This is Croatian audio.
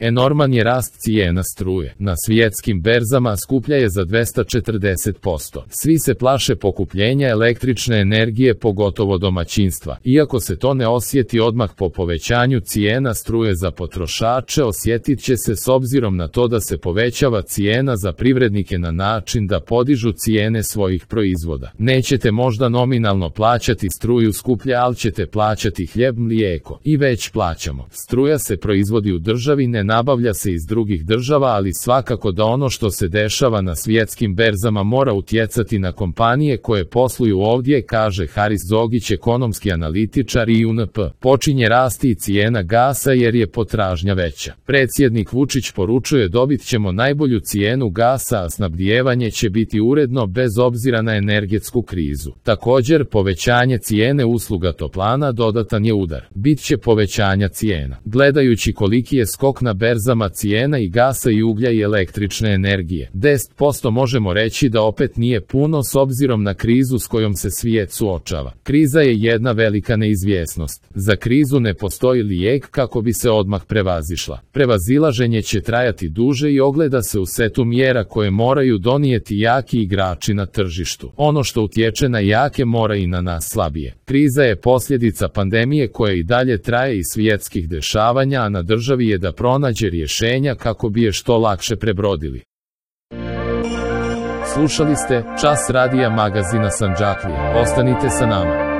Enorman je rast cijena struje. Na svjetskim berzama skuplja je za 240%. Svi se plaše pokupljenja električne energije, pogotovo domaćinstva. Iako se to ne osjeti odmah po povećanju cijena struje za potrošače, osjetit će se s obzirom na to da se povećava cijena za privrednike na način da podižu cijene svojih proizvoda. Nećete možda nominalno plaćati struju skuplje, ali ćete plaćati hljeb, mlijeko. I već plaćamo. Struja se proizvodi u državi, ne nabavlja se iz drugih država, ali svakako da ono što se dešava na svjetskim berzama mora utjecati na kompanije koje posluju ovdje, kaže Haris Zogić, ekonomski analitičar i UNP. Počinje rasti i cijena gasa jer je potražnja veća. Predsjednik Vučić poručuje dobit ćemo najbolju cijenu gasa, a snabdijevanje će biti uredno bez obzira na energetsku krizu. Također, povećanje cijene usluga toplana dodatan je udar. Bit će povećanja cijena. Gledajući koliki je skok na berzama cijena i gasa i uglja i električne energije, 10% možemo reći da opet nije puno s obzirom na krizu s kojom se svijet suočava. Kriza je jedna velika neizvjesnost. Za krizu ne postoji lijek kako bi se odmah prevazišla. Prevazilaženje će trajati duže i ogleda se u setu mjera koje moraju donijeti jaki igrači na tržištu. Ono što utječe na jake mora i na nas slabije. Kriza je posljedica pandemije koja i dalje traje i svjetskih dešavanja, a na državi je da pronađe rješenja kako bi je što lakše prebrodili. Slušali ste Čas radija magazina Sandžaklija. Ostanite sa nama.